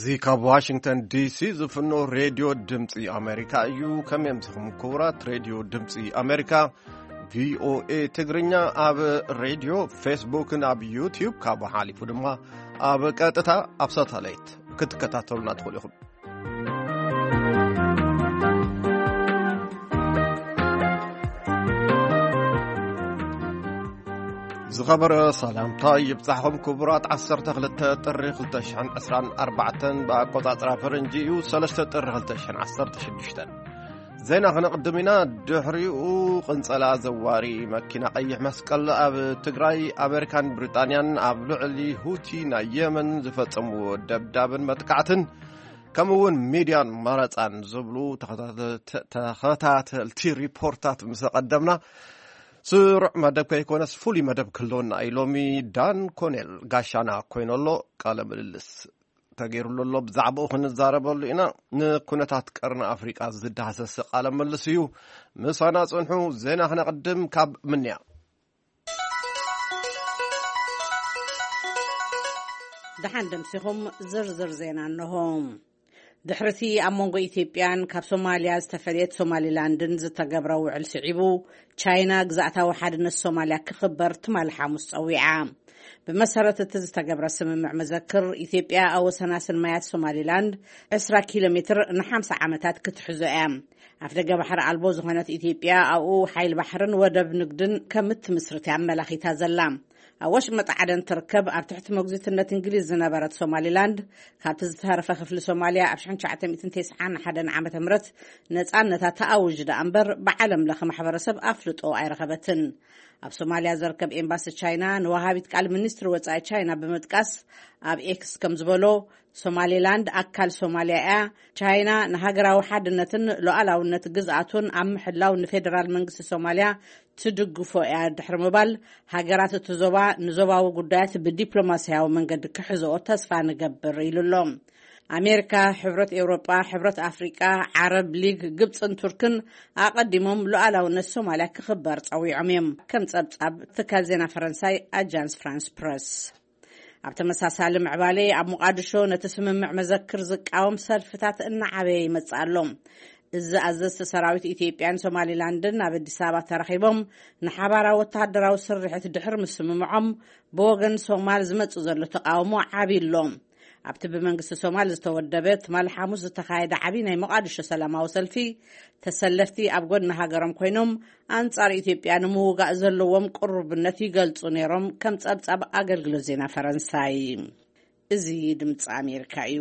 እዚ ካብ ዋሽንግተን ዲሲ ዝፍኖ ሬድዮ ድምፂ ኣሜሪካ እዩ። ከመይ ኣምሲኹም ክቡራት? ሬድዮ ድምፂ ኣሜሪካ፣ ቪኦኤ ትግርኛ፣ ኣብ ሬድዮ፣ ፌስቡክን ኣብ ዩቲዩብ፣ ካብኡ ሓሊፉ ድማ ኣብ ቀጥታ ኣብ ሳተላይት ክትከታተሉና ትኽእሉ ኢኹም። ዝኸበረ ሰላምታ ይብጻሕኹም ክቡራት። ዓሰርተ ክልተ ጥሪ ክልተ ሽሕን ዕስራን ኣርባዕተን ብኣቆጻጽራ ፈረንጂ እዩ፣ ሰለስተ ጥሪ ክልተ ሽሕን ዓሰርተ ሽዱሽተን። ዜና ክነቕድም ኢና። ድሕሪኡ ቅንጸላ ዘዋሪ መኪና ቀይሕ መስቀል ኣብ ትግራይ፣ ኣሜሪካን ብሪጣንያን ኣብ ልዕሊ ሁቲ ናይ የመን ዝፈጸምዎ ደብዳብን መጥቃዕትን፣ ከምኡ እውን ሚድያን መረጻን ዝብሉ ተኸታተ-፣ ተኸታተልቲ ሪፖርታት ምስ ኣቐደምና፣ ስሩዕ መደብ ከይኮነስ ፍሉይ መደብ ክህልወና እዩ። ሎሚ ዳን ኮኔል ጋሻና ኮይኑ ኣሎ። ቃለ ምልልስ ተገይሩሉ ኣሎ። ብዛዕባኡ ክንዛረበሉ ኢና። ንኩነታት ቀርኒ ኣፍሪቃ ዝዳህሰስ ቃለ ምልልስ እዩ። ምሳና ጽንሑ። ዜና ክነቕድም ካብ ምንያ። ደሓን ደምሲኹም። ዝርዝር ዜና እንሆ። ድሕርቲ ኣብ መንጎ ኢትዮጵያን ካብ ሶማልያ ዝተፈለየት ሶማሊላንድን ዝተገብረ ውዕል ስዒቡ፣ ቻይና ግዛእታዊ ሓድነት ሶማልያ ክኽበር ትማሊ ሓሙስ ጸዊዓ። ብመሰረት እቲ ዝተገብረ ስምምዕ መዘክር፣ ኢትዮጵያ ኣብ ወሰናስን ማያት ሶማሊላንድ ዕስራ ኪሎ ሜትር ንሓምሳ ዓመታት ክትሕዞ እያ። ኣፍደገ ባሕሪ ኣልቦ ዝኾነት ኢትዮጵያ ኣብኡ ሓይል ባሕርን ወደብ ንግድን ከም እትምስርት እያ ኣመላኺታ ዘላ። ኣብ ወሽመጥ ዓደን ትርከብ ኣብ ትሕቲ መጉዚትነት እንግሊዝ ዝነበረት ሶማሊላንድ፣ ካብቲ ዝተረፈ ክፍሊ ሶማልያ ኣብ ሽሕን ትሽዓተ ሚእትን ተስዓን ሓደን ዓመተ ምህረት ነጻነታ ተኣውጅ ደኣ እምበር፣ ብዓለም ለኸ ማሕበረሰብ ኣፍልጦ ኣይረኸበትን። ኣብ ሶማልያ ዝርከብ ኤምባሲ ቻይና ንወሃቢት ቃል ሚኒስትሪ ወጻኢ ቻይና ብምጥቃስ፣ ኣብ ኤክስ ከም ዝበሎ፣ ሶማሌላንድ ኣካል ሶማልያ እያ። ቻይና ንሃገራዊ ሓድነትን ሉዓላውነት ግዝኣቱን ኣብ ምሕላው ንፌደራል መንግስቲ ሶማልያ ትድግፎ እያ ድሕሪ ምባል፣ ሃገራት እቲ ዞባ ንዞባዊ ጉዳያት ብዲፕሎማስያዊ መንገዲ ክሕዝኦ ተስፋ ንገብር ኢሉ ኣሎ። ኣሜሪካ፣ ሕብረት ኤውሮጳ፣ ሕብረት ኣፍሪቃ፣ ዓረብ ሊግ፣ ግብጽን ቱርክን ኣቐዲሞም ሉዓላውነት ሶማልያ ክኽበር ጸዊዖም እዮም፣ ከም ጸብጻብ ትካል ዜና ፈረንሳይ ኣጃንስ ፍራንስ ፕረስ። ኣብ ተመሳሳሊ ምዕባለ፣ ኣብ ሞቓድሾ ነቲ ስምምዕ መዘክር ዝቃወም ሰልፍታት እናዓበየ ይመጽእ ኣሎ። እዚ ኣዘዝቲ ሰራዊት ኢትዮጵያን ሶማሊላንድን ኣብ ኣዲስ ኣበባ ተራኺቦም ንሓባራዊ ወተሃደራዊ ስርሒት ድሕሪ ምስምምዖም፣ ብወገን ሶማል ዝመጽእ ዘሎ ተቃውሞ ዓቢ ኣሎ። ኣብቲ ብመንግስቲ ሶማል ዝተወደበ ትማሊ ሓሙስ ዝተኻየደ ዓቢ ናይ ሞቓድሾ ሰላማዊ ሰልፊ፣ ተሰለፍቲ ኣብ ጎድኒ ሃገሮም ኮይኖም ኣንጻር ኢትዮጵያ ንምውጋእ ዘለዎም ቅሩብነት ይገልጹ ነይሮም፣ ከም ጸብጻብ ኣገልግሎት ዜና ፈረንሳይ። እዚ ድምጺ ኣሜሪካ እዩ።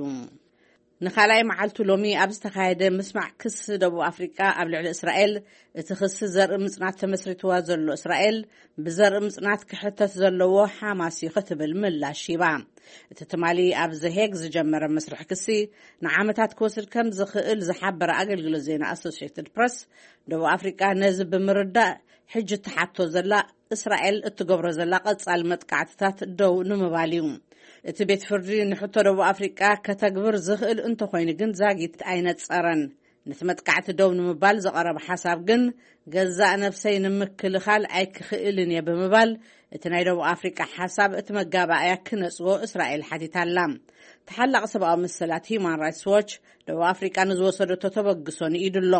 ንኻልኣይ መዓልቱ ሎሚ ኣብ ዝተኻየደ ምስማዕ ክሲ ደቡብ ኣፍሪቃ ኣብ ልዕሊ እስራኤል፣ እቲ ክሲ ዘርኢ ምጽናት ተመስሪትዋ ዘሎ እስራኤል፣ ብዘርኢ ምጽናት ክሕተት ዘለዎ ሓማስ እዩ ክትብል ምላሽ ሂባ። እቲ ትማሊ ኣብ ዘሄግ ዝጀመረ መስርሕ ክሲ ንዓመታት ክወስድ ከም ዝኽእል ዝሓበረ ኣገልግሎት ዜና ኣሶሲየትድ ፕረስ፣ ደቡብ ኣፍሪቃ ነዚ ብምርዳእ፣ ሕጂ ትሓቶ ዘላ እስራኤል እትገብሮ ዘላ ቀጻሊ መጥቃዕትታት ደው ንምባል እዩ። እቲ ቤት ፍርዲ ንሕቶ ደቡብ ኣፍሪቃ ከተግብር ዝኽእል እንተኾይኑ ግን ዛጊት ኣይነጸረን። ነቲ መጥቃዕቲ ደው ንምባል ዝቐረበ ሓሳብ ግን፣ ገዛእ ነብሰይ ንምክልኻል ኣይክኽእልን እየ ብምባል፣ እቲ ናይ ደቡብ ኣፍሪቃ ሓሳብ እቲ መጋባእያ ክነጽጎ እስራኤል ሓቲታ ኣላ። ተሓላቒ ሰብኣዊ መሰላት ሂዩማን ራይትስ ዎች፣ ደቡብ ኣፍሪቃ ንዝወሰደቶ ተበግሶ ንኢዱ ኣሎ።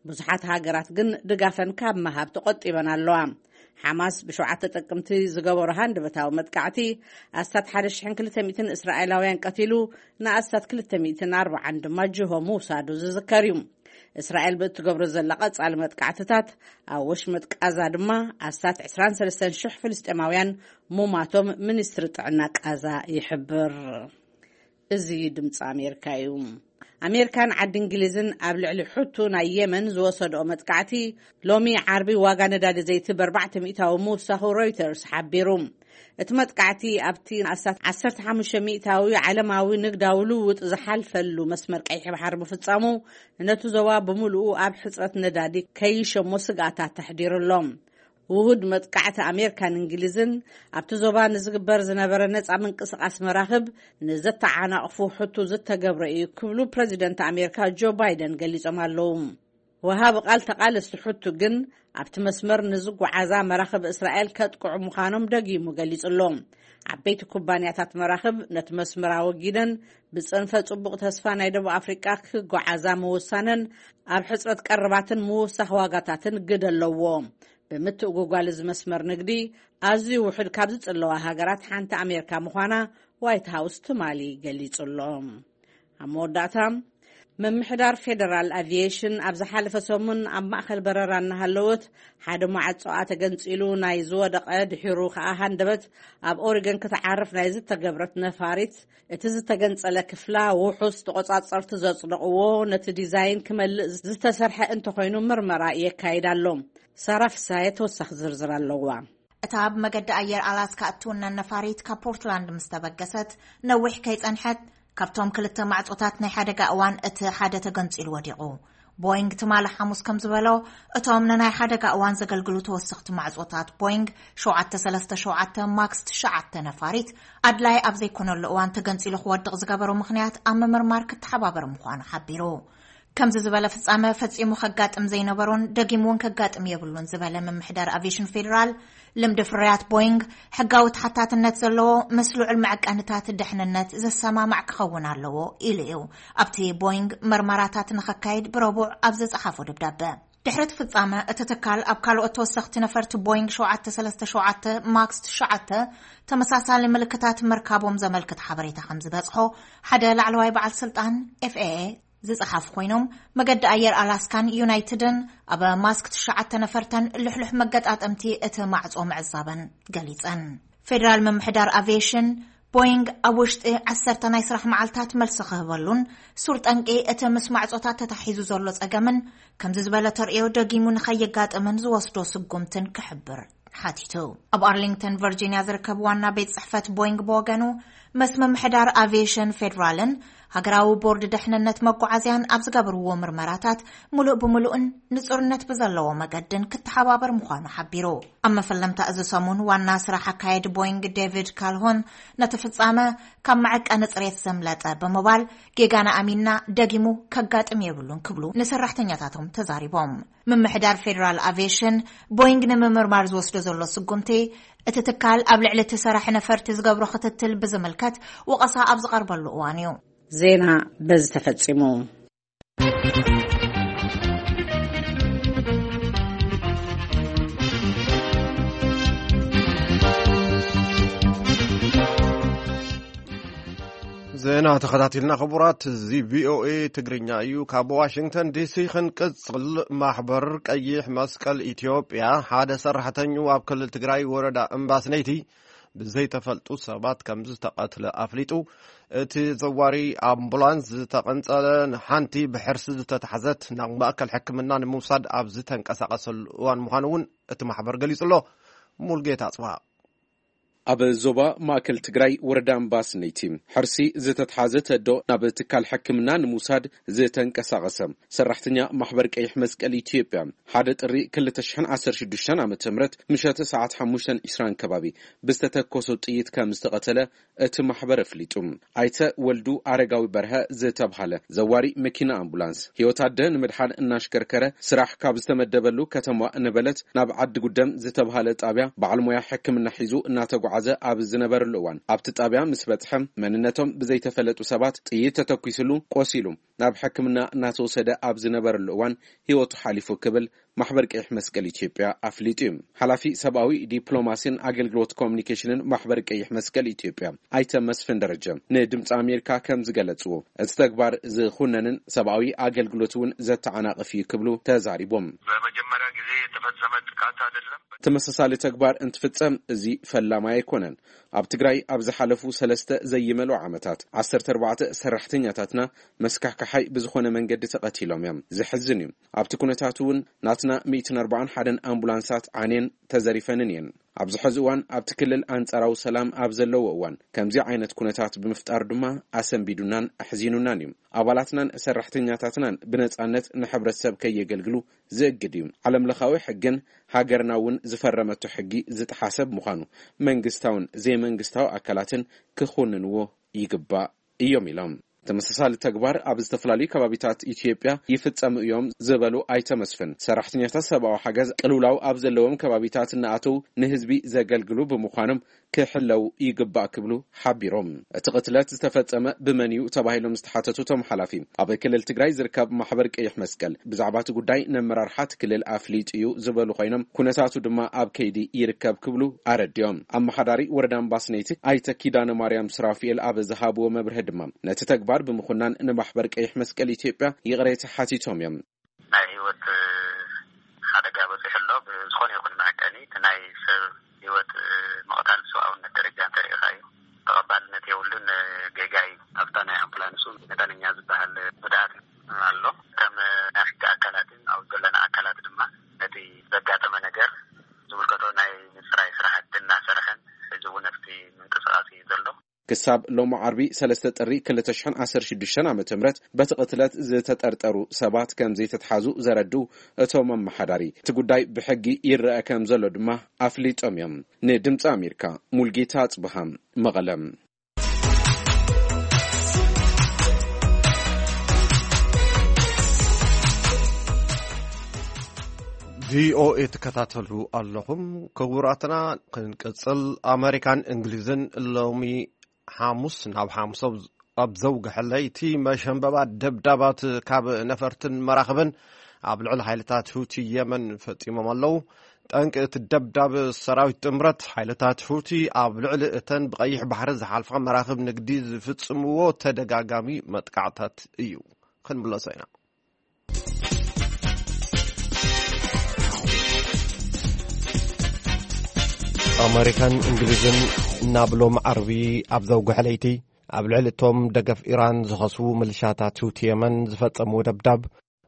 ብዙሓት ሃገራት ግን ድጋፈን ካብ ምሃብ ተቖጢበን ኣለዋ። ሓማስ ብሸውዓተ ጥቅምቲ ዝገበሮ ሃንደበታዊ መጥቃዕቲ፣ ኣስታት ሓደ ሽሕን ክልተ ሚእትን እስራኤላውያን ቀቲሉ፣ ንኣስታት ክልተ ሚእትን ኣርባዓን ድማ ጅሆ ምውሳዱ ዝዝከር እዩ። እስራኤል ብእትገብሮ ዘላ ቀጻሊ መጥቃዕትታት፣ ኣብ ወሽመጥ ቃዛ ድማ ኣስታት ዕስራን ሰለስተን ሽሕ ፍልስጤማውያን ሙማቶም ሚኒስትሪ ጥዕና ቃዛ ይሕብር። እዚ ድምፂ ኣሜሪካ እዩ። ኣሜሪካን ዓዲ እንግሊዝን ኣብ ልዕሊ ሑቱ ናይ የመን ዝወሰድኦ መጥቃዕቲ፣ ሎሚ ዓርቢ ዋጋ ነዳዲ ዘይቲ ብኣርባዕተ ሚእታዊ ምውሳኹ ሮይተርስ ሓቢሩ። እቲ መጥቃዕቲ ኣብቲ ኣስታት ዓሰርተ ሓሙሽተ ሚእታዊ ዓለማዊ ንግዳዊ ልውውጥ ዝሓልፈሉ መስመር ቀይሕ ባሕሪ ምፍጻሙ፣ ነቲ ዞባ ብምሉኡ ኣብ ሕጽረት ነዳዲ ከይሸሞ ስግኣታት ተሕዲሩ ኣሎ። ውሁድ መጥቃዕቲ ኣሜሪካን እንግሊዝን ኣብቲ ዞባ ንዝግበር ዝነበረ ነጻ ምንቅስቓስ መራኽብ ንዘተዓናቕፉ ሕቱ ዝተገብረ እዩ ክብሉ ፕረዚደንት ኣሜሪካ ጆ ባይደን ገሊጾም ኣለዉ። ወሃቢ ቃል ተቓለስቲ ሕቱ ግን ኣብቲ መስመር ንዝጓዓዛ መራኽብ እስራኤል ከጥቅዑ ምዃኖም ደጊሙ ገሊጹ ኣሎ። ዓበይቲ ኩባንያታት መራኽብ ነቲ መስመር ኣወጊደን ብጽንፈ ጽቡቕ ተስፋ ናይ ደቡብ ኣፍሪቃ ክጓዓዛ ምውሳነን ኣብ ሕጽረት ቀረባትን ምውሳኽ ዋጋታትን ግደ ኣለዎ። ብምትእጉጓል እዚ መስመር ንግዲ ኣዝዩ ውሑድ ካብ ዝጽለዋ ሃገራት ሓንቲ ኣሜሪካ ምዃና ዋይት ሃውስ ትማሊ ገሊጹ ኣሎ። ኣብ መወዳእታ፣ ምምሕዳር ፌደራል ኣቪዬሽን ኣብ ዝሓለፈ ሰሙን ኣብ ማእከል በረራ እናሃለወት ሓደ ማዕጾኣ ተገንጺሉ ናይ ዝወደቐ ድሒሩ ከኣ ሃንደበት ኣብ ኦሪገን ክትዓርፍ ናይ ዝተገብረት ነፋሪት እቲ ዝተገንጸለ ክፍላ ውሑስ ተቖጻጸርቲ ዘጽደቕዎ ነቲ ዲዛይን ክመልእ ዝተሰርሐ እንተኾይኑ ምርመራ የካይድ ኣሎ። ሳራ ፍሳየ ተወሳኺ ዝርዝር ኣለዋ። እታ ኣብ መገዲ ኣየር ኣላስካ እትውነን ነፋሪት ካብ ፖርትላንድ ምስ ተበገሰት ነዊሕ ከይጸንሐት ካብቶም ክልተ ማዕጾታት ናይ ሓደጋ እዋን እቲ ሓደ ተገንጺሉ ወዲቑ። ቦይንግ ትማሊ ሓሙስ ከም ዝበሎ፣ እቶም ንናይ ሓደጋ እዋን ዘገልግሉ ተወሰኽቲ ማዕጾታት ቦይንግ ሸውዓተ ሰለስተ ሸውዓተ ማክስ ትሽዓተ ነፋሪት ኣድላይ ኣብ ዘይኮነሉ እዋን ተገንጺሉ ክወድቕ ዝገበሮ ምኽንያት ኣብ ምምርማር ክተሓባበር ምዃኑ ሓቢሩ። ከምዚ ዝበለ ፍጻመ ፈጺሙ ከጋጥም ዘይነበሮን ደጊም እውን ከጋጥም የብሉን ዝበለ ምምሕዳር ኣቪዬሽን ፌዴራል፣ ልምዲ ፍርያት ቦይንግ ሕጋዊ ተሓታትነት ዘለዎ ምስ ልዑል መዐቀንታት ድሕንነት ዘሰማማዕ ክኸውን ኣለዎ ኢሉ እዩ ኣብቲ ቦይንግ መርመራታት ንኸካይድ ብረቡዕ ኣብ ዝጸሓፎ ደብዳበ። ድሕሪ እቲ ፍጻመ፣ እቲ ትካል ኣብ ካልኦት ተወሰኽቲ ነፈርቲ ቦይንግ ሸውዓተ ሰለስተ ሸውዓተ ማክስ ትሽዓተ ተመሳሳሊ ምልክታት ምርካቦም ዘመልክት ሓበሬታ ከም ዝበጽሖ ሓደ ላዕለዋይ በዓል ስልጣን ኤፍ ኤ ኤ ዝጸሓፉ ኮይኖም፣ መገዲ ኣየር ኣላስካን ዩናይትድን ኣብ ማክስ ትሽዓተ ነፈርተን ልሕሉሕ መገጣጠምቲ እቲ ማዕጾ ምዕዛበን ገሊጸን። ፌደራል ምምሕዳር ኣቪዬሽን፣ ቦይንግ ኣብ ውሽጢ ዓሰርተ ናይ ስራሕ መዓልታት መልሲ ክህበሉን ሱር ጠንቂ እቲ ምስ ማዕጾታት ተታሒዙ ዘሎ ጸገምን ከምዚ ዝበለ ተርእዮ ደጊሙ ንኸየጋጥምን ዝወስዶ ስጉምትን ክሕብር ሓቲቱ። ኣብ ኣርሊንግተን ቨርጂኒያ ዝርከብ ዋና ቤት ጽሕፈት ቦይንግ ብወገኑ፣ ምስ ምምሕዳር ኣቪዬሽን ፌዴራልን ሃገራዊ ቦርድ ድሕንነት መጓዓዝያን ኣብ ዝገበርዎ ምርመራታት፣ ምሉእ ብምሉእን ንጹርነት ብዘለዎ መገድን ክተሓባበር ምዃኑ ሓቢሩ። ኣብ መፈለምታ እዚ ሰሙን፣ ዋና ስራሕ ኣካየዲ ቦይንግ ዴቪድ ካልሆን ነቲ ፍጻመ ካብ መዐቀኒ ጽሬት ዘምለጠ ብምባል፣ ጌጋና ኣሚንና ደጊሙ ከጋጥም የብሉን ክብሉ ንሰራሕተኛታቶም ተዛሪቦም። ምምሕዳር ፌዴራል ኣቪዬሽን፣ ቦይንግ ንምምርማር ዝወስዶ ዘሎ ስጉምቲ፣ እቲ ትካል ኣብ ልዕሊ እቲ ሰራሒ ነፈርቲ ዝገብሮ ክትትል ብዝምልከት ወቐሳ ኣብ ዝቐርበሉ እዋን እዩ። ዜና በዚ ተፈጺሙ። ዜና ተኸታቲልና፣ ክቡራት፣ እዚ ቪ ኦ ኤ ትግርኛ እዩ። ካብ ዋሽንግተን ዲ ሲ ክንቅጽል፣ ማሕበር ቀይሕ መስቀል ኢትዮጵያ ሓደ ሰራሕተኛኡ ኣብ ክልል ትግራይ ወረዳ እምባስነይቲ ብዘይተፈልጡ ሰባት ከም ዝተቐትለ ኣፍሊጡ። እቲ ዘዋሪ ኣምቡላንስ ዝተቐንጸለ ንሓንቲ ብሕርሲ ዝተታሕዘት ናብ ማእከል ሕክምና ንምውሳድ ኣብ ዝተንቀሳቐሰሉ እዋን ምዃኑ እውን እቲ ማሕበር ገሊጹ ኣሎ። ሙልጌታ ኣጽብሃ። ኣብ ዞባ ማእከል ትግራይ ወረዳ እምባስነይቲ ሕርሲ ዝተትሓዘት ኣዶ ናብ ትካል ሕክምና ንምውሳድ ዝተንቀሳቐሰ ሰራሕተኛ ማሕበር ቀይሕ መስቀል ኢትዮጵያ ሓደ ጥሪ ክልተ ሽሕን ዓሰርተ ሽዱሽተን ዓመተ ምህረት ምሸት ሰዓት ሓሙሽተ ዕስራን ከባቢ ብዝተተኮሶ ጥይት ከም ዝተቐተለ እቲ ማሕበር ኣፍሊጡ። ኣይተ ወልዱ ኣረጋዊ በርሀ ዝተብሃለ ዘዋሪ መኪና ኣምቡላንስ ህይወት ኣደ ንምድሓን እናሽከርከረ ስራሕ ካብ ዝተመደበሉ ከተማ ነበለት ናብ ዓዲ ጉደም ዝተብሃለ ጣብያ በዓል ሞያ ሕክምና ሒዙ እናተጓዓዘ ኣብ ዝነበረሉ እዋን ኣብቲ ጣብያ ምስ በጽሐ መንነቶም ብዘይተፈለጡ ሰባት ጥይት ተተኲስሉ ቆሲሉ ናብ ሕክምና እናተወሰደ ኣብ ዝነበረሉ እዋን ህይወቱ ሓሊፉ ክብል ማሕበር ቀይሕ መስቀል ኢትዮጵያ ኣፍሊጡ እዩ። ሓላፊ ሰብኣዊ ዲፕሎማሲን ኣገልግሎት ኮሚኒኬሽንን ማሕበር ቀይሕ መስቀል ኢትዮጵያ ኣይተ መስፍን ደረጀ ንድምፂ ኣሜሪካ ከም ዝገለፅዎ፣ እቲ ተግባር ዝኹነንን ሰብኣዊ ኣገልግሎት እውን ዘተዓናቕፍ እዩ ክብሉ ተዛሪቦም። በመጀመሪያ ጊዜ የተፈጸመ ጥቃት አይደለም። ተመሳሳሊ ተግባር እንትፍጸም እዚ ፈላማይ ኣይኮነን። ኣብ ትግራይ ኣብ ዝሓለፉ ሰለስተ ዘይመልኡ ዓመታት ዓሰርተ ኣርባዕተ ሰራሕተኛታትና መስካሕካሓይ ብዝኾነ መንገዲ ተቐቲሎም እዮም። ዘሕዝን እዩ። ኣብቲ ኩነታት እውን ናትና ሚእትን ኣርባዓን ሓደን ኣምቡላንሳት ዓንየን ተዘሪፈንን እየን። ኣብዚ ሕዚ እዋን ኣብቲ ክልል ኣንጻራዊ ሰላም ኣብ ዘለዎ እዋን ከምዚ ዓይነት ኩነታት ብምፍጣር ድማ ኣሰንቢዱናን ኣሕዚኑናን እዩ። ኣባላትናን ሰራሕተኛታትናን ብነጻነት ንሕብረተሰብ ከየገልግሉ ዝእግድ እዩ። ዓለምለኻዊ ሕግን ሃገርና እውን ዝፈረመቶ ሕጊ ዝጠሓሰ ብምዃኑ መንግስታውን ዘይመንግስታዊ ኣካላትን ክኹንንዎ ይግባእ እዮም ኢሎም። ተመሳሳሊ ተግባር ኣብ ዝተፈላለዩ ከባቢታት ኢትዮጵያ ይፍጸሙ እዮም ዝበሉ ኣይተ መስፍን፣ ሰራሕተኛታት ሰብኣዊ ሓገዝ ቅልውላው ኣብ ዘለዎም ከባቢታት እናኣተው ንህዝቢ ዘገልግሉ ብምዃኖም ክሕለው ይግባእ ክብሉ ሓቢሮም። እቲ ቅትለት ዝተፈጸመ ብመን እዩ ተባሂሎም ዝተሓተቱ እቶም ሓላፊ፣ ኣብ ክልል ትግራይ ዝርከብ ማሕበር ቀይሕ መስቀል ብዛዕባ እቲ ጉዳይ ነመራርሓ እቲ ክልል ኣፍሊጡ እዩ ዝበሉ ኮይኖም፣ ኩነታቱ ድማ ኣብ ከይዲ ይርከብ ክብሉ ኣረዲኦም። ኣመሓዳሪ ወረዳ እምባስነይቲ ኣይተ ኪዳነ ማርያም ስራፊኤል ኣብ ዝሃብዎ መብርሂ ድማ፣ ነቲ ተግባር ብምኹናን ንማሕበር ቀይሕ መስቀል ኢትዮጵያ ይቕሬታ ሓቲቶም እዮም። ናይ ህይወት ሓደጋ በፂሑ ኣሎ። ብዝኾነ ይኹን መዐቀኒ እቲ ናይ ሰብ ህይወት ምቕታል ብሰብኣውነት ደረጃ እንተሪኢኻ እዩ፣ ተቐባልነት የብሉን። ጌጋ እዩ። ኣብታ ናይ ኣምቡላንስ እውን መጠነኛ ዝበሃል ጉድኣት ኣሎ። ከም ናይ ሕጊ ኣካላትን ኣብ ዘለና ኣካላት ድማ ነቲ ዘጋጠመ ነገር ዝምልከቶ ናይ ምፅራይ ስራሕቲ እናሰርሐን ሕዚ እውን ኣብቲ ምንቅስቃስ እዩ ዘሎ። ክሳብ ሎሚ ዓርቢ ሰለስተ ጥሪ ክልተ ሽሕን ዓሰርተ ሽዱሽተን ዓመተ ምህረት በቲ ቅትለት ዝተጠርጠሩ ሰባት ከም ዘይተትሓዙ ዘረድኡ እቶም ኣመሓዳሪ፣ እቲ ጉዳይ ብሕጊ ይረአ ከም ዘሎ ድማ ኣፍሊጦም እዮም። ንድምፂ ኣሜሪካ፣ ሙልጌታ ኣጽብሃ፣ መቐለ። ቪኦኤ ትከታተሉ ኣለኹም። ክቡራትና፣ ክንቅጽል። ኣመሪካን እንግሊዝን ሎሚ ሓሙስ ናብ ሓሙስ ኣብ፣ ኣብ ዘውግሐ ለይቲ መሸንበባት ደብዳባት ካብ ነፈርትን መራኽብን ኣብ ልዕሊ ሓይልታት ሁቲ የመን ፈጺሞም ኣለዉ። ጠንቂ እቲ ደብዳብ፣ ሰራዊት ጥምረት ሓይልታት ሁቲ ኣብ ልዕሊ እተን ብቐይሕ ባሕሪ ዝሓልፋ መራኽብ ንግዲ ዝፍጽምዎ ተደጋጋሚ መጥቃዕታት እዩ። ክንምለሶ ኢና። ኣመሪካን እንግሊዝን ናብ ሎም ዓርቢ ኣብ ዘውግሐ ለይቲ ኣብ ልዕሊ እቶም ደገፍ ኢራን ዝኸስቡ ምልሻታት ሁቲ የመን ዝፈጸምዎ ደብዳብ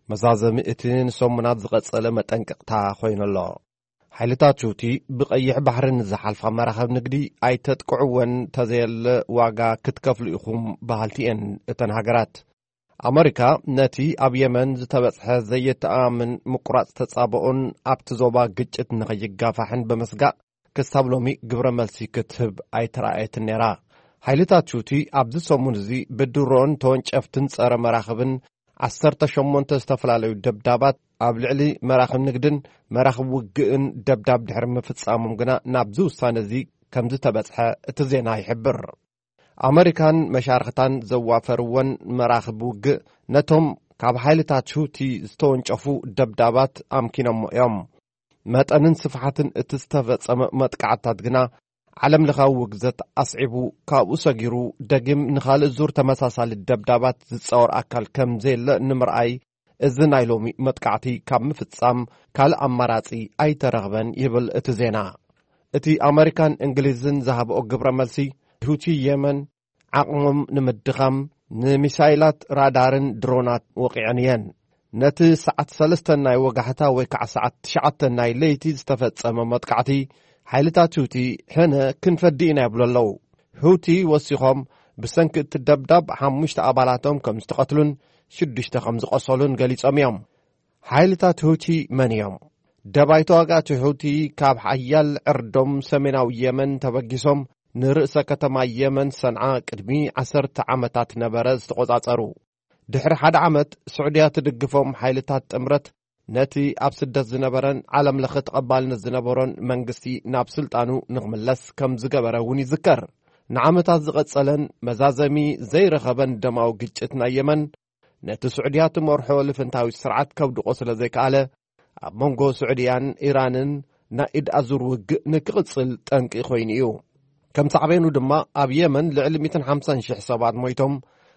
መዛዘሚ እቲ ንሰሙናት ዝቐጸለ መጠንቀቕታ ኮይኑ ኣሎ። ሓይልታት ሁቲ ብቐይሕ ባሕሪ ንዝሓልፋ መራኸብ ንግዲ ኣይተጥቅዕወን፣ ተዘየለ ዋጋ ክትከፍሉ ኢኹም በሃልቲ እየን እተን ሃገራት። ኣመሪካ ነቲ ኣብ የመን ዝተበጽሐ ዘየተኣማምን ምቁራጽ ተጻብኦን ኣብቲ ዞባ ግጭት ንኸይጋፋሕን ብምስጋእ ክሳብ ሎሚ ግብረ መልሲ ክትህብ ኣይተራእየትን ነይራ። ሓይልታት ሁቲ ኣብዚ ሰሙን እዚ ብድሮን ተወንጨፍትን ጸረ መራኽብን ዓሰርተ ሸሞንተ ዝተፈላለዩ ደብዳባት ኣብ ልዕሊ መራኽብ ንግድን መራኽብ ውግእን ደብዳብ ድሕሪ ምፍጻሞም ግና ናብዚ ውሳነ እዚ ከም ዝተበጽሐ እቲ ዜና ይሕብር። ኣመሪካን መሻርኽታን ዘዋፈርወን መራኽብ ውግእ ነቶም ካብ ሓይልታት ሁቲ ዝተወንጨፉ ደብዳባት ኣምኪኖሞ እዮም። መጠንን ስፍሓትን እቲ ዝተፈጸመ መጥቃዕትታት ግና ዓለም ለኻዊ ውግዘት ኣስዒቡ፣ ካብኡ ሰጊሩ ደጊም ንኻልእ ዙር ተመሳሳሊ ደብዳባት ዝጻወር ኣካል ከም ዘየለ ንምርኣይ፣ እዚ ናይ ሎሚ መጥቃዕቲ ካብ ምፍጻም ካልእ ኣማራጺ ኣይተረኽበን ይብል እቲ ዜና። እቲ ኣመሪካን እንግሊዝን ዝሃብኦ ግብረ መልሲ፣ ሁቲ የመን ዓቕሞም ንምድኻም ንሚሳይላት፣ ራዳርን ድሮናት ወቒዐን እየን። ነቲ ሰዓት ሰለስተ ናይ ወጋሕታ ወይ ከዓ ሰዓት ትሽዓተ ናይ ለይቲ ዝተፈጸመ መጥቃዕቲ ሓይልታት ሁቲ ሕነ ክንፈዲ ኢና ይብሉ ኣለዉ። ሁቲ ወሲኾም፣ ብሰንኪ እቲ ደብዳብ ሓሙሽተ ኣባላቶም ከም ዝተቐትሉን ሽዱሽተ ከም ዝቖሰሉን ገሊጾም እዮም። ሓይልታት ሁቲ መን እዮም? ደባይ ተዋጋእቲ ሁቲ ካብ ሓያል ዕርዶም ሰሜናዊ የመን ተበጊሶም ንርእሰ ከተማ የመን ሰንዓ ቅድሚ ዓሰርተ ዓመታት ነበረ ዝተቖጻጸሩ። ድሕሪ ሓደ ዓመት ስዑድያ ትድግፎም ሓይልታት ጥምረት ነቲ ኣብ ስደት ዝነበረን ዓለም ለኸ ተቐባልነት ዝነበሮን መንግስቲ ናብ ስልጣኑ ንኽምለስ ከም ዝገበረ እውን ይዝከር። ንዓመታት ዝቐጸለን መዛዘሚ ዘይረኸበን ደማዊ ግጭት ናይ የመን፣ ነቲ ስዑድያ ትመርሖ ልፍንታዊ ስርዓት ከውድቖ ስለ ዘይከኣለ፣ ኣብ መንጎ ስዑድያን ኢራንን ናይ ኢድ ኣዙር ውግእ ንክቕጽል ጠንቂ ኮይኑ እዩ። ከም ሳዕቤኑ ድማ ኣብ የመን ልዕሊ ሚእትን ሓምሳን ሽሕ ሰባት ሞይቶም፣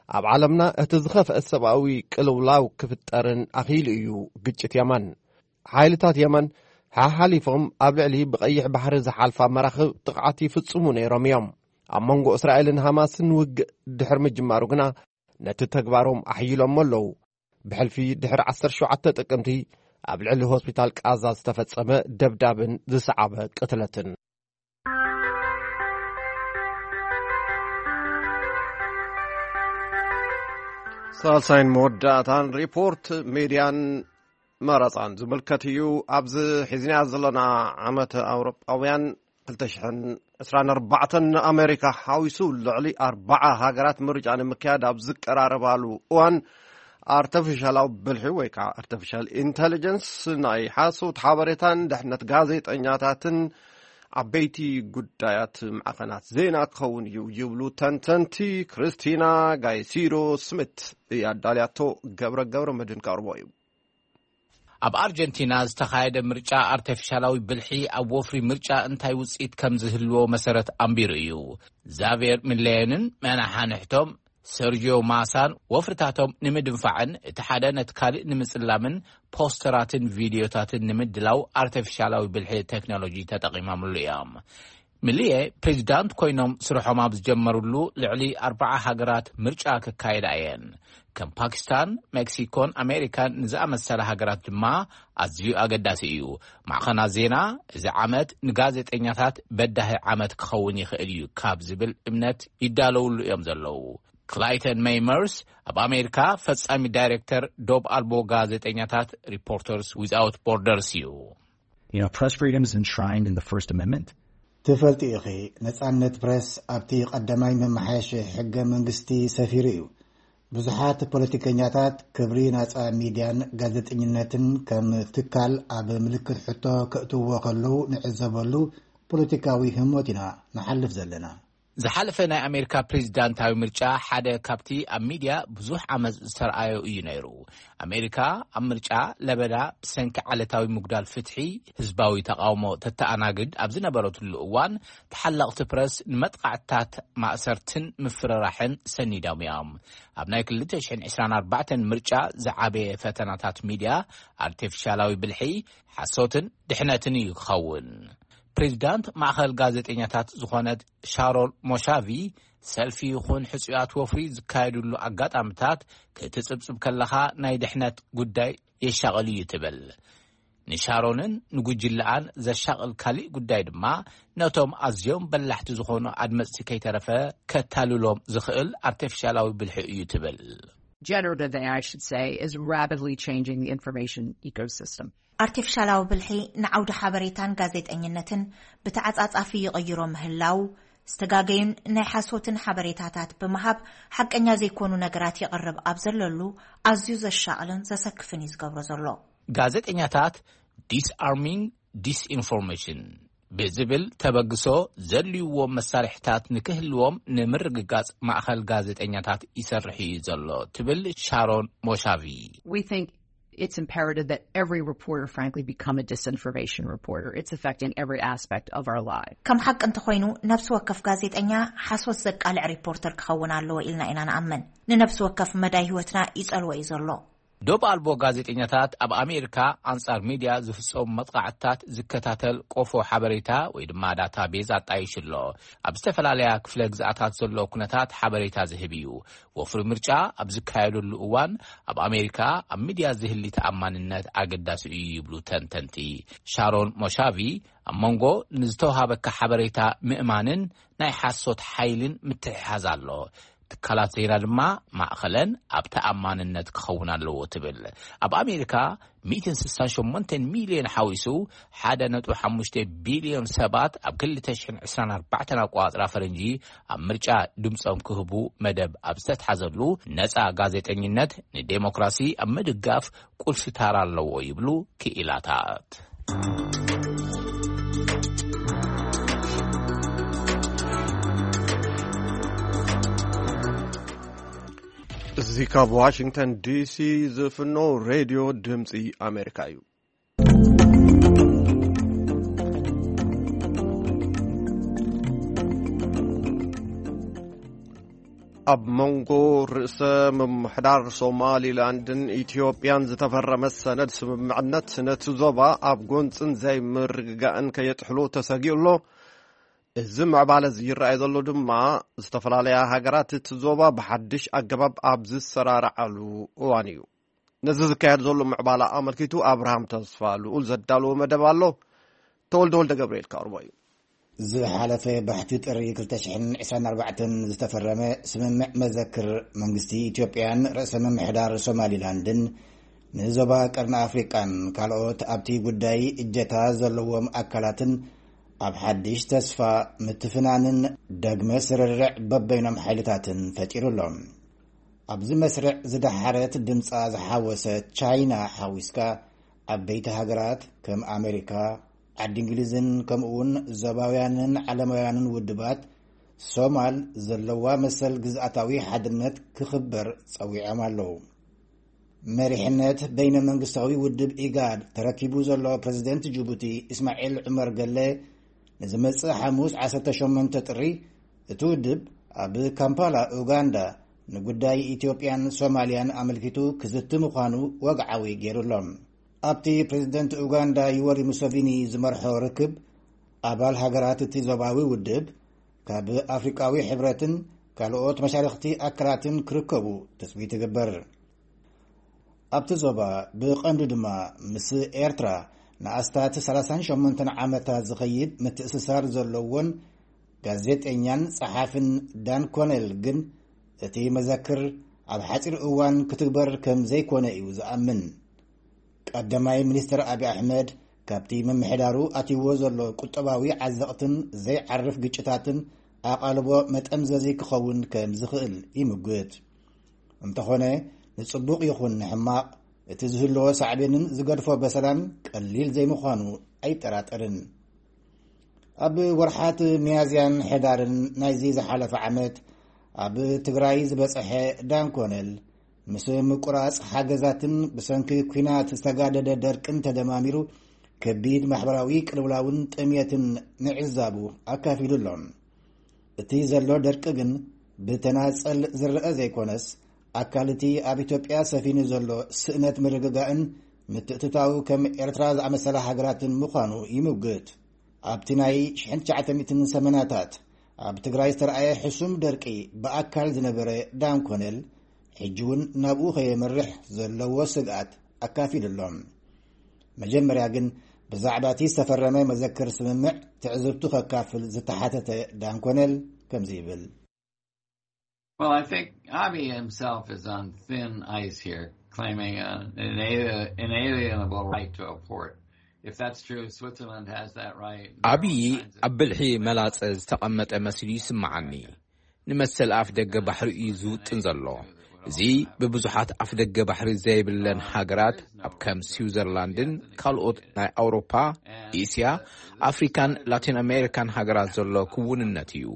ኣብ ዓለምና እቲ ዝኸፍአ ሰብኣዊ ቅልውላው ክፍጠርን ኣኽኢሉ እዩ ግጭት የመን። ሓይልታት የመን ሓሓሊፎም ኣብ ልዕሊ ብቐይሕ ባሕሪ ዝሓልፋ መራኽብ ጥቕዓት ይፍጽሙ ነይሮም እዮም። ኣብ መንጎ እስራኤልን ሃማስን ውግእ ድሕሪ ምጅማሩ ግና ነቲ ተግባሮም ኣሕይሎሞ ኣለዉ። ብሕልፊ ድሕሪ ዓሰርተ ሸውዓተ ጥቅምቲ ኣብ ልዕሊ ሆስፒታል ቃዛ ዝተፈጸመ ደብዳብን ዝሰዓበ ቅትለትን። ሳልሳይን መወዳእታን ሪፖርት ሜድያን መረጻን ዝምልከት እዩ። ኣብዚ ሒዝናያ ዘለና ዓመት ኣውሮጳውያን ክልተ ሽሕን ዕስራን ኣርባዕተን ንኣሜሪካ ሓዊሱ ልዕሊ ኣርባዓ ሃገራት ምርጫ ንምክያድ ኣብ ዝቀራረባሉ እዋን፣ ኣርተፊሻላዊ ብልሒ ወይ ከዓ ኣርተፊሻል ኢንተሊጀንስ ናይ ሓሶት ሓበሬታን ድሕነት ጋዜጠኛታትን ዓበይቲ ጉዳያት ማዕኸናት ዜና ክኸውን እዩ ይብሉ ተንተንቲ። ክርስቲና ጋይሲዶ ስሚት እያ ኣዳልያቶ። ገብረ ገብረ መድን ቀርቦ እዩ። ኣብ ኣርጀንቲና ዝተኻየደ ምርጫ ኣርተፊሻላዊ ብልሒ ኣብ ወፍሪ ምርጫ እንታይ ውፅኢት ከም ዝህልዎ መሰረት ኣንቢሩ እዩ። ዛቬር ሚሌዮንን መናሓንሕቶም ሰርጂዮ ማሳን ወፍርታቶም ንምድንፋዕን እቲ ሓደ ነቲ ካልእ ንምጽላምን ፖስተራትን ቪድዮታትን ንምድላው ኣርተፊሻላዊ ብልሒ ቴክኖሎጂ ተጠቒሞምሉ እዮም። ሚሊየ ፕሬዚዳንት ኮይኖም ስርሖም ኣብ ዝጀመሩሉ ልዕሊ ኣርባዓ ሃገራት ምርጫ ክካየዳ እየን። ከም ፓኪስታን፣ ሜክሲኮን ኣሜሪካን ንዝኣመሰላ ሃገራት ድማ ኣዝዩ ኣገዳሲ እዩ። ማዕኸናት ዜና እዚ ዓመት ንጋዜጠኛታት በዳሂ ዓመት ክኸውን ይኽእል እዩ ካብ ዝብል እምነት ይዳለውሉ እዮም ዘለዉ። ክላይተን ሜይመርስ ኣብ ኣሜሪካ ፈጻሚ ዳይሬክተር ዶብ ኣልቦ ጋዜጠኛታት ሪፖርተርስ ዊዝኣውት ቦርደርስ እዩ። You know, press freedom is enshrined in the First Amendment. ትፈልጢ ኢኺ፣ ነጻነት ፕረስ ኣብቲ ቀዳማይ መመሓየሺ ሕገ መንግስቲ ሰፊሩ እዩ። ብዙሓት ፖለቲከኛታት ክብሪ ናጻ ሚድያን ጋዜጠኝነትን ከም ትካል ኣብ ምልክት ሕቶ ከእትዎ ከለዉ ንዕዘበሉ ፖለቲካዊ ህሞት ኢና ንሓልፍ ዘለና። ዝሓለፈ ናይ ኣሜሪካ ፕሬዚዳንታዊ ምርጫ ሓደ ካብቲ ኣብ ሚድያ ብዙሕ ዓመፅ ዝተረኣዮ እዩ ነይሩ። ኣሜሪካ ኣብ ምርጫ ለበዳ ብሰንኪ ዓለታዊ ምጉዳል ፍትሒ፣ ህዝባዊ ተቓውሞ ተተኣናግድ ኣብ ዝነበረትሉ እዋን፣ ተሓለቕቲ ፕረስ ንመጥቓዕትታት፣ ማእሰርትን ምፍርራሕን ሰኒዶም እዮም። ኣብ ናይ ክልተ ሽሕን ዕስራን ኣርባዕተን ምርጫ ዝዓበየ ፈተናታት ሚድያ ኣርቲፊሻላዊ ብልሒ፣ ሓሶትን ድሕነትን እዩ ክኸውን። ፕሬዚዳንት ማእኸል ጋዜጠኛታት ዝኾነት ሻሮን ሞሻቪ፣ ሰልፊ ይኹን ሕጹያት ወፍሪ ዝካየድሉ ኣጋጣምታት ክትጽብጽብ ከለኻ ናይ ድሕነት ጉዳይ የሻቕል እዩ ትብል። ንሻሮንን ንጉጅለኣን ዘሻቕል ካሊእ ጉዳይ ድማ ነቶም ኣዝዮም በላሕቲ ዝኾኑ ኣድመጽቲ ከይተረፈ ከታልሎም ዝኽእል ኣርቲፊሻላዊ ብልሒ እዩ ትብል። Generative A I, I should say, is rapidly changing the information ecosystem. ኣርቲፊሻላዊ ብልሒ ንዓውዲ ሓበሬታን ጋዜጠኝነትን ብተዓጻጻፊ ይቕይሮ ምህላው፣ ዝተጋገዩን ናይ ሓሶትን ሓበሬታታት ብምሃብ ሓቀኛ ዘይኮኑ ነገራት የቕርብ ኣብ ዘለሉ ኣዝዩ ዘሻቕልን ዘሰክፍን እዩ ዝገብሮ ዘሎ። ጋዜጠኛታት ዲስኣርሚንግ ዲስኢንፎርሜሽን ብዝብል ተበግሶ ዘድልይዎም መሳርሕታት ንክህልዎም ንምርግጋጽ ማእኸል ጋዜጠኛታት ይሰርሕ እዩ ዘሎ ትብል ሻሮን ሞሻቪ። We think it's imperative that every reporter, frankly, become a disinformation reporter. It's affecting every aspect of our life. ከም ሓቂ እንተኾይኑ ነብሲ ወከፍ ጋዜጠኛ ሓሶት ዘቃልዕ ሪፖርተር ክኸውን ኣለዎ ኢልና ኢና ንኣምን። ንነብሲ ወከፍ መዳይ ህይወትና ይጸልዎ እዩ ዘሎ። ዶብ ኣልቦ ጋዜጠኛታት ኣብ ኣሜሪካ ኣንጻር ሚድያ ዝፍጸሙ መጥቓዕትታት ዝከታተል ቆፎ ሓበሬታ ወይ ድማ ዳታቤዝ ኣጣይሹ ኣሎ። ኣብ ዝተፈላለያ ክፍለ ግዝኣታት ዘሎ ኩነታት ሓበሬታ ዝህብ እዩ። ወፍሪ ምርጫ ኣብ ዝካየደሉ እዋን ኣብ ኣሜሪካ ኣብ ሚድያ ዝህሊ ተኣማንነት ኣገዳሲ እዩ ይብሉ ተንተንቲ። ሻሮን ሞሻቪ ኣብ መንጎ ንዝተውሃበካ ሓበሬታ ምእማንን ናይ ሓሶት ሓይልን ምትሕሓዝ ኣሎ። ትካላት ዜና ድማ ማእኸለን ኣብ ተኣማንነት ክኸውን ኣለዎ ትብል። ኣብ ኣሜሪካ ሚእትን ስሳን ሸሞንተን ሚልዮን ሓዊሱ ሓደ ነጥቢ ሓሙሽተ ቢልዮን ሰባት ኣብ ክልተ ሽሕን ዕስራን ኣርባዕተን ኣቆጻጽራ ፈረንጂ ኣብ ምርጫ ድምጾም ክህቡ መደብ ኣብ ዝተትሓዘሉ ነጻ ጋዜጠኝነት ንዴሞክራሲ ኣብ ምድጋፍ ቁልፊ ታራ ኣለዎ ይብሉ ክኢላታት። እዚ ካብ ዋሽንግተን ዲሲ ዝፍኖ ሬድዮ ድምፂ ኣሜሪካ እዩ። ኣብ መንጎ ርእሰ ምምሕዳር ሶማሊላንድን ኢትዮጵያን ዝተፈረመ ሰነድ ስምምዕነት ነቲ ዞባ ኣብ ጎንፅን ዘይምርግጋእን ከየጥሕሎ ተሰጊኡ ኣሎ። እዚ ምዕባለ እዚ ይረኣይ ዘሎ ድማ ዝተፈላለያ ሃገራት እቲ ዞባ ብሓድሽ ኣገባብ ኣብ ዝሰራርዓሉ እዋን እዩ። ነዚ ዝካየድ ዘሎ ምዕባላ ኣመልኪቱ ኣብርሃም ተስፋ ልኡል ዘዳለዎ መደብ ኣሎ። ተወልደ ወልደ ገብርኤል ከቕርቦ እዩ። ዝሓለፈ ባሕቲ ጥሪ ክልተ ሽሕን ዕስራን ኣርባዕተን ዝተፈረመ ስምምዕ መዘክር መንግስቲ ኢትዮጵያን ርእሰ ምምሕዳር ሶማሊላንድን ንዞባ ቀርኒ ኣፍሪቃን ካልኦት ኣብቲ ጉዳይ እጀታ ዘለዎም ኣካላትን ኣብ ሓድሽ ተስፋ፣ ምትፍናንን ደግመ ስርርዕ በበይኖም ሓይልታትን ፈጢሩ ኣሎ። ኣብዚ መስርዕ ዝደሓረት ድምጻ ዝሓወሰት ቻይና ሓዊስካ፣ ዓበይቲ ሃገራት ከም ኣሜሪካ፣ ዓዲ እንግሊዝን ከምኡውን ዞባውያንን ዓለማውያንን ውድባት፣ ሶማል ዘለዋ መሰል ግዝኣታዊ ሓድነት ክኽበር ጸዊዖም ኣለዉ። መሪሕነት በይነ መንግስታዊ ውድብ ኢጋድ ተረኪቡ ዘሎ ፕረዚደንት ጅቡቲ እስማዒል ዑመር ገለ፣ ንዝመጽእ ሓሙስ ዓሰርተ ሸሞንተ ጥሪ፣ እቲ ውድብ ኣብ ካምፓላ ኡጋንዳ ንጉዳይ ኢትዮጵያን ሶማልያን ኣመልኪቱ ክዝቲ ምዃኑ ወግዓዊ ገይሩ ኣሎ። ኣብቲ ፕረዚደንት ኡጋንዳ ዩወሪ ሙሰቪኒ ዝመርሖ ርክብ፣ ኣባል ሃገራት እቲ ዞባዊ ውድብ ካብ ኣፍሪቃዊ ሕብረትን ካልኦት መሻርኽቲ ኣካላትን ክርከቡ ትጽቢት ይግበር። ኣብቲ ዞባ፣ ብቐንዱ ድማ ምስ ኤርትራ ንኣስታት ሰላሳን ሸሞንተን ዓመታት ዝኸይድ ምትእስሳር ዘለዎን ጋዜጠኛን ጸሓፍን ዳን ኮነል ግን፣ እቲ መዘክር ኣብ ሓጺር እዋን ክትግበር ከም ዘይኮነ እዩ ዝኣምን። ቀዳማይ ሚኒስትር ኣብይ ኣሕመድ፣ ካብቲ ምምሕዳሩ ኣትይዎ ዘሎ ቁጠባዊ ዓዘቕትን ዘይዓርፍ ግጭታትን ኣቓልቦ መጠምዘዚ ክኸውን ከም ዝኽእል ይምጉት። እንተኾነ፣ ንጽቡቕ ይኹን ንሕማቕ፣ እቲ ዝህልዎ ሳዕቤንን ዝገድፎ በሰላን ቀሊል ዘይምዃኑ ኣይጠራጠርን። ኣብ ወርሓት ሚያዝያን ሕዳርን ናይዚ ዝሓለፈ ዓመት፣ ኣብ ትግራይ ዝበጽሐ ዳንኮነል፣ ምስ ምቁራጽ ሓገዛትን ብሰንኪ ኲናት ዝተጋደደ ደርቅን ተደማሚሩ፣ ከቢድ ማሕበራዊ ቅልውላውን ጥሜትን ምዕዛቡ ኣካፊሉ ኣሎ። እቲ ዘሎ ደርቂ ግን ብተናጸል ዝረኣ ዘይኮነስ፣ ኣካል እቲ ኣብ ኢትዮጵያ ሰፊኑ ዘሎ ስእነት ምርግጋእን ምትእትታው ከም ኤርትራ ዝኣመሰላ ሃገራትን ምዃኑ ይምውግት። ኣብቲ ናይ ሽሕን ትሽዓተ ሚእትን ሰመናታት ኣብ ትግራይ ዝተረኣየ ሕሱም ደርቂ ብኣካል ዝነበረ ዳን ኮነል፣ ሕጂ እውን ናብኡ ከየምርሕ ዘለዎ ስግኣት ኣካፊሉ ኣሎ። መጀመርያ ግን፣ ብዛዕባ እቲ ዝተፈረመ መዘክር ስምምዕ ትዕዝብቱ ከካፍል ዝተሓተተ ዳን ኮነል ከምዚ ይብል። Well, I think Abiy himself is on thin ice here, claiming uh, an, alien, an alienable right to a port. If that's true, Switzerland has that right. ኣብዪ ኣብ ብልሒ መላጸ ዝተቐመጠ መሲሉ ይስምዓኒ። ንመሰል ኣፍ ደገ ባሕሪ እዩ ዝውጥን ዘሎ። እዚ ብብዙሓት ኣፍ ደገ ባሕሪ ዘይብለን ሃገራት ኣብ ከም ስዊዘርላንድን ካልኦት ናይ ኣውሮፓ፣ እስያ፣ ኣፍሪካን ላቲን ኣሜሪካን ሃገራት ዘሎ ክውንነት እዩ።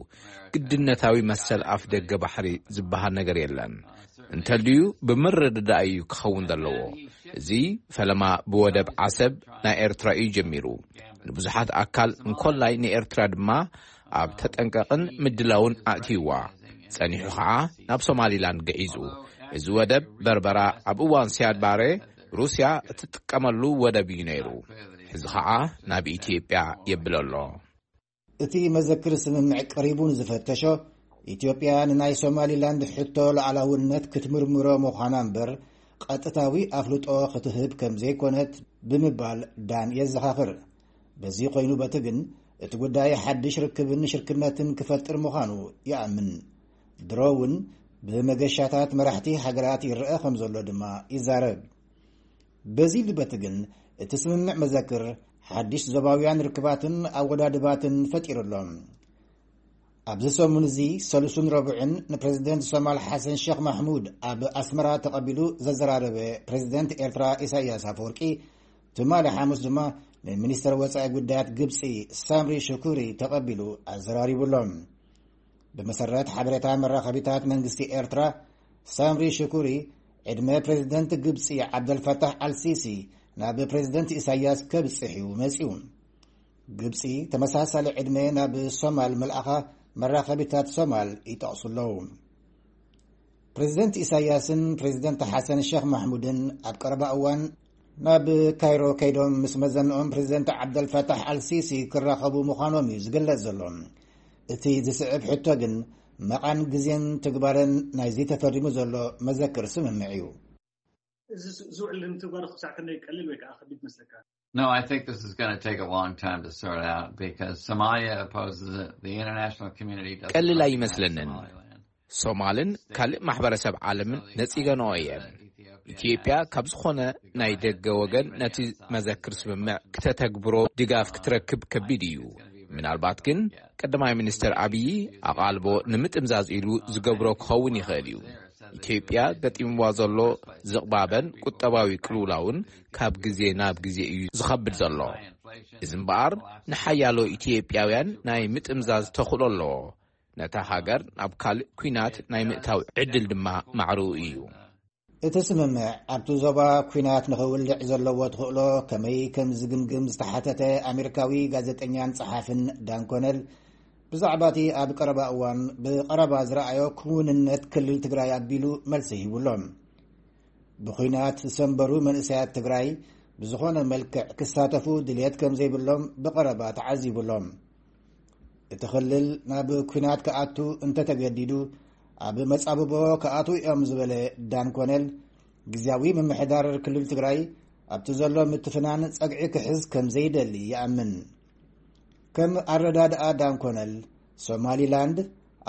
ግድነታዊ መሰል ኣፍ ደገ ባሕሪ ዝበሃል ነገር የለን። እንተልዩ ብምርድዳእ እዩ ክኸውን ዘለዎ። እዚ ፈለማ ብወደብ ዓሰብ ናይ ኤርትራ እዩ ጀሚሩ። ንብዙሓት ኣካል እንኮላይ ንኤርትራ ድማ ኣብ ተጠንቀቕን ምድላውን ኣእትይዋ። ጸኒሑ ኸዓ ናብ ሶማሊላንድ ግዒዙ። እዚ ወደብ በርበራ ኣብ እዋን ሲያድ ባሬ ሩስያ እትጥቀመሉ ወደብ እዩ ነይሩ። ሕዚ ኸዓ ናብ ኢትዮጵያ የብል ኣሎ። እቲ መዘክር ስምምዕ ቀሪቡ ንዝፈተሾ፣ ኢትዮጵያ ንናይ ሶማሊላንድ ሕቶ ሉዓላውነት ክትምርምሮ ምዃና እምበር፣ ቀጥታዊ ኣፍልጦ ክትህብ ከም ዘይኮነት ብምባል ዳን የዘኻኽር። በዚ ኮይኑ በቲ ግን፣ እቲ ጉዳይ ሓድሽ ርክብን ሽርክነትን ክፈጥር ምዃኑ ይኣምን። ድሮ እውን ብመገሻታት መራሕቲ ሃገራት ይረአ ከም ዘሎ ድማ ይዛረብ። በዚ ልበቲ ግን፣ እቲ ስምምዕ መዘክር ሓድሽ ዞባውያን ርክባትን ኣወዳድባትን ፈጢሩ ኣሎ። ኣብዚ ሰሙን እዚ፣ ሰሉስን ረቡዕን፣ ንፕረዚደንት ሶማል ሓሰን ሸኽ ማሕሙድ ኣብ ኣስመራ ተቐቢሉ ዘዘራረበ ፕረዚደንት ኤርትራ ኢሳያስ ኣፈወርቂ፣ ትማሊ ሓሙስ ድማ፣ ንሚኒስተር ወጻኢ ጉዳያት ግብጺ ሳምሪ ሽኩሪ ተቐቢሉ ኣዘራሪቡ ኣሎ። ብመሰረት ሓበሬታ መራኸቢታት መንግስቲ ኤርትራ፣ ሳምሪ ሽኩሪ ዕድመ ፕረዚደንት ግብጺ ዓብደልፈታሕ ኣልሲሲ ናብ ፕረዚደንት ኢሳያስ ከብጽሕ እዩ መጺኡ። ግብጺ ተመሳሳሊ ዕድመ ናብ ሶማል ምልኣኻ መራኸቢታት ሶማል ይጠቕሱ ኣለዉ። ፕረዚደንት ኢሳያስን ፕረዚደንት ሓሰን ሸኽ ማሕሙድን ኣብ ቀረባ እዋን ናብ ካይሮ ከይዶም ምስ መዘንኦም ፕረዚደንት ዓብደልፈታሕ ኣልሲሲ ክራኸቡ ምዃኖም እዩ ዝግለጽ ዘሎ። እቲ ዝስዕብ ሕቶ ግን መቓን ግዜን ትግባረን ናይዚ ተፈሪሙ ዘሎ መዘክር ስምምዕ እዩ። እዚ ዝውዕል ንምትግባሩ ክሳዕ ክንደይ ቀሊል ወይ ከዓ ከቢድ መስለካ? No, I think this is going to take a long time to sort out because Somalia opposes it. The international community doesn't ቀልል recognize ኣይመስለንን። Somaliland. ሶማልን ካልእ ማሕበረሰብ ዓለምን ነጺገንኦ እየን። ኢትዮጵያ ካብ ዝኾነ ናይ ደገ ወገን ነቲ መዘክር ስምምዕ ክተተግብሮ ድጋፍ ክትረክብ ከቢድ እዩ። ምናልባት ግን ቀዳማይ ሚኒስትር ኣብይ ኣቓልቦ ንምጥምዛዝ ኢሉ ዝገብሮ ክኸውን ይኽእል እዩ። ኢትዮጵያ ገጢምዋ ዘሎ ዝቕባበን ቁጠባዊ ቅልውላውን ካብ ግዜ ናብ ግዜ እዩ ዝኸብድ ዘሎ። እዚ እምበኣር ንሓያሎ ኢትዮጵያውያን ናይ ምጥምዛዝ ተኽእሎ ኣለዎ። ነታ ሃገር ናብ ካልእ ኲናት ናይ ምእታው ዕድል ድማ ማዕርኡ እዩ። እቲ ስምምዕ ኣብቲ ዞባ ኲናት ንኽውልዕ ዘለዎ ተኽእሎ ከመይ ከም ዝግምግም ዝተሓተተ ኣሜሪካዊ ጋዜጠኛን ጸሓፍን ዳን ኮነል፣ ብዛዕባ እቲ ኣብ ቀረባ እዋን ብቐረባ ዝረኣዮ ክውንነት ክልል ትግራይ ኣቢሉ መልሲ ሂቡ ኣሎ። ብኲናት ዝሰንበሩ መንእሰያት ትግራይ ብዝኾነ መልክዕ ክሳተፉ ድልየት ከም ዘይብሎም ብቐረባ ተዓዚቡ ኣሎ። እቲ ክልል ናብ ኲናት ክኣቱ እንተተገዲዱ፣ ኣብ መጻብቦ ክኣትዉ እዮም ዝበለ ዳን ኮነል፣ ግዝያዊ ምምሕዳር ክልል ትግራይ ኣብቲ ዘሎ ምትፍናን ጸግዒ ክሕዝ ከም ዘይደሊ ይኣምን። ከም ኣረዳድኣ ዳን ኮነል፣ ሶማሊላንድ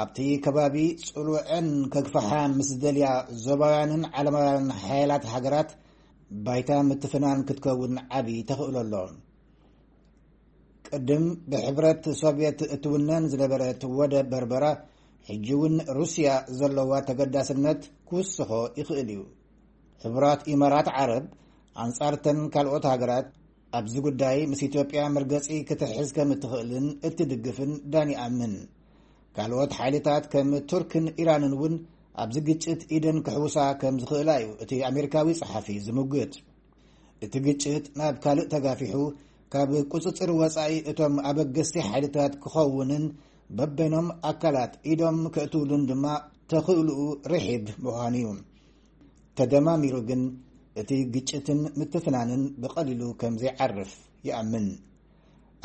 ኣብቲ ከባቢ ጽልወአን ከግፍሓ ምስ ዝደልያ ዞባውያንን ዓለማውያንን ሓያላት ሃገራት ባይታ ምትፍናን ክትከውን ዓቢ ተኽእሎ ኣሎ። ቅድም ብሕብረት ሶቭየት እትውነን ዝነበረት ወደብ በርበራ፣ ሕጂ እውን ሩስያ ዘለዋ ተገዳስነት ክውስኾ ይኽእል እዩ። ሕቡራት ኢማራት ዓረብ ኣንጻርተን ካልኦት ሃገራት ኣብዚ ጉዳይ ምስ ኢትዮጵያ መርገጺ ክትሕዝ ከም እትኽእልን እትድግፍን ዳን ይኣምን። ካልኦት ሓይልታት ከም ቱርክን ኢራንን እውን ኣብዚ ግጭት ኢደን ክሕውሳ ከም ዝኽእላ እዩ እቲ ኣሜሪካዊ ጸሓፊ ዝምጉት። እቲ ግጭት ናብ ካልእ ተጋፊሑ ካብ ቁጽጽር ወጻኢ እቶም ኣበገስቲ ሓይልታት ክኸውንን በበይኖም ኣካላት ኢዶም ከእትውሉን ድማ ተኽእልኡ ርሒብ ምዃኑ እዩ። ተደማሚሩ ግን እቲ ግጭትን ምትፍናንን ብቐሊሉ ከም ዘይዓርፍ ይኣምን።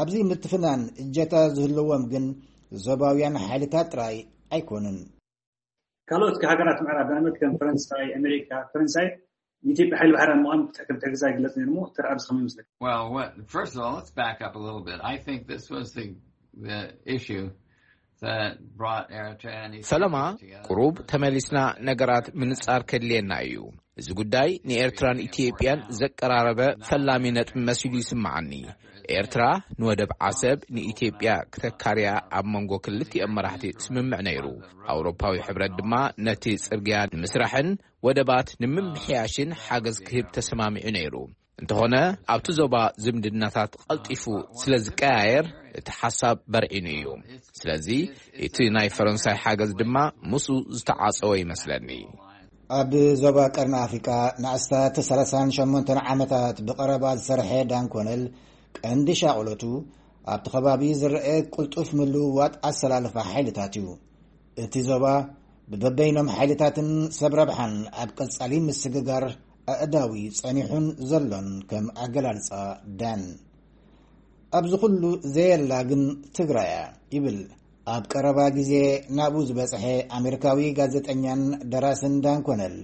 ኣብዚ ምትፍናን እጀታ ዝህልዎም ግን ዞባውያን ሓይልታት ጥራይ ኣይኮኑን። ካልኦት ሃገራት ምዕራብ ንኣብነት ከም ፈረንሳይ፣ ኣሜሪካ፣ ፈረንሳይ ንኢትዮጵያ ሓይሊ ባሕሪ ኣብ ምዃን ከም ትሕግዛ ይግለጽ ነይሩ እሞ እቲ ርኣይ ከመይ ይመስለካ? Well, what, first of all, let's back up a little bit. I think this was the, the issue that brought Eritrea and Ethiopia ፈለማ together. ቁሩብ ተመሊስና ነገራት ምንጻር ከድልየና እዩ። እዚ ጉዳይ ንኤርትራን ኢትዮጵያን ዘቀራረበ ፈላሚ ነጥቢ መሲሉ ይስምዓኒ። ኤርትራ ንወደብ ዓሰብ ንኢትዮጵያ ክተካርያ ኣብ መንጎ ክልቲኦም መራሕቲ ስምምዕ ነይሩ። ኣውሮፓዊ ሕብረት ድማ ነቲ ጽርግያ ንምስራሕን ወደባት ንምምሕያሽን ሓገዝ ክህብ ተሰማሚዑ ነይሩ። እንተኾነ ኣብቲ ዞባ ዝምድናታት ቀልጢፉ ስለ ዝቀያየር እቲ ሓሳብ በርዒኑ እዩ። ስለዚ እቲ ናይ ፈረንሳይ ሓገዝ ድማ ምስኡ ዝተዓጸወ ይመስለኒ። ኣብ ዞባ ቀርኒ ኣፍሪቃ ንኣስታት ሰላሳን ሸሞንተን ዓመታት ብቐረባ ዝሰርሐ ዳን ኮነል ቀንዲ ሻቕሎቱ ኣብቲ ከባቢ ዝረአ ቅልጡፍ ምልውዋጥ ኣሰላልፋ ሓይልታት እዩ። እቲ ዞባ ብበበይኖም ሓይልታትን ሰብ ረብሓን ኣብ ቀጻሊ ምስግጋር ኣእዳዊ ጸኒሑን ዘሎን ከም ኣገላልጻ ዳን። ኣብዚ ኩሉ ዘየላ ግን ትግራይ እያ ይብል ኣብ ቀረባ ግዜ ናብኡ ዝበጽሐ ኣሜሪካዊ ጋዜጠኛን ደራስን ዳን ኮነል።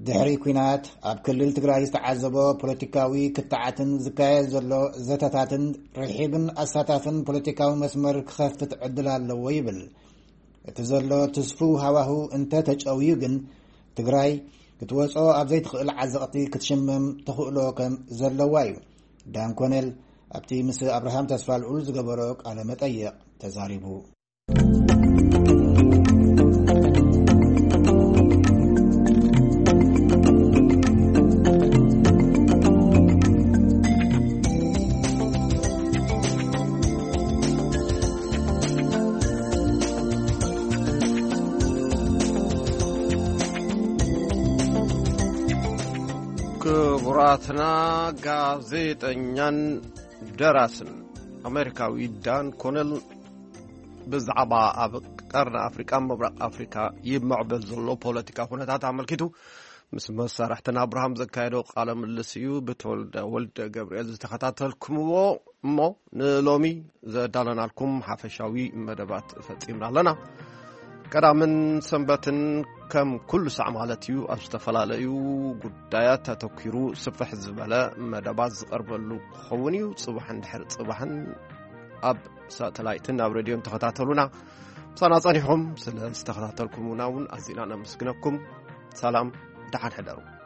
ድሕሪ ኲናት ኣብ ክልል ትግራይ ዝተዓዘቦ ፖለቲካዊ ክትዓትን ዝካየድ ዘሎ ዘተታትን ርሒብን ኣሳታፍን ፖለቲካዊ መስመር ክኸፍት ዕድል ኣለዎ ይብል። እቲ ዘሎ ትስፉው ሃዋህው እንተ ተጨውዩ ግን ትግራይ ክትወጾ ኣብ ዘይትኽእል ዓዘቕቲ ክትሽመም ተኽእሎ ከም ዘለዋ እዩ ዳን ኮነል ኣብቲ ምስ ኣብርሃም ተስፋልኡል ዝገበሮ ቃለ መጠይቕ ተዛሪቡ። ክቡራትና፣ ጋዜጠኛን ደራስን ኣሜሪካዊ ዳን ኮነል ብዛዕባ ኣብ ቀርኒ ኣፍሪቃን ምብራቕ ኣፍሪካ ይመዕበል ዘሎ ፖለቲካ ኩነታት ኣመልኪቱ ምስ መሳርሕትን ኣብርሃም ዘካየዶ ቃለ ምልልስ እዩ ብተወልደ ወልደ ገብርኤል ዝተኸታተልኩምዎ። እሞ ንሎሚ ዘዳለናልኩም ሓፈሻዊ መደባት ፈጺምና ኣለና። ቀዳምን ሰንበትን ከም ኩሉ ሳዕ ማለት እዩ ኣብ ዝተፈላለዩ ጉዳያት ኣተኪሩ ስፍሕ ዝበለ መደባት ዝቐርበሉ ክኸውን እዩ። ጽባሕን ድሕሪ ጽባሕን ኣብ ሳተላይትን ኣብ ሬድዮን ተኸታተሉና። ምሳና ጸኒሕኩም ስለ ዝተኸታተልኩምና እውን ኣዚና ነመስግነኩም። ሰላም፣ ደሓን ሕደሩ።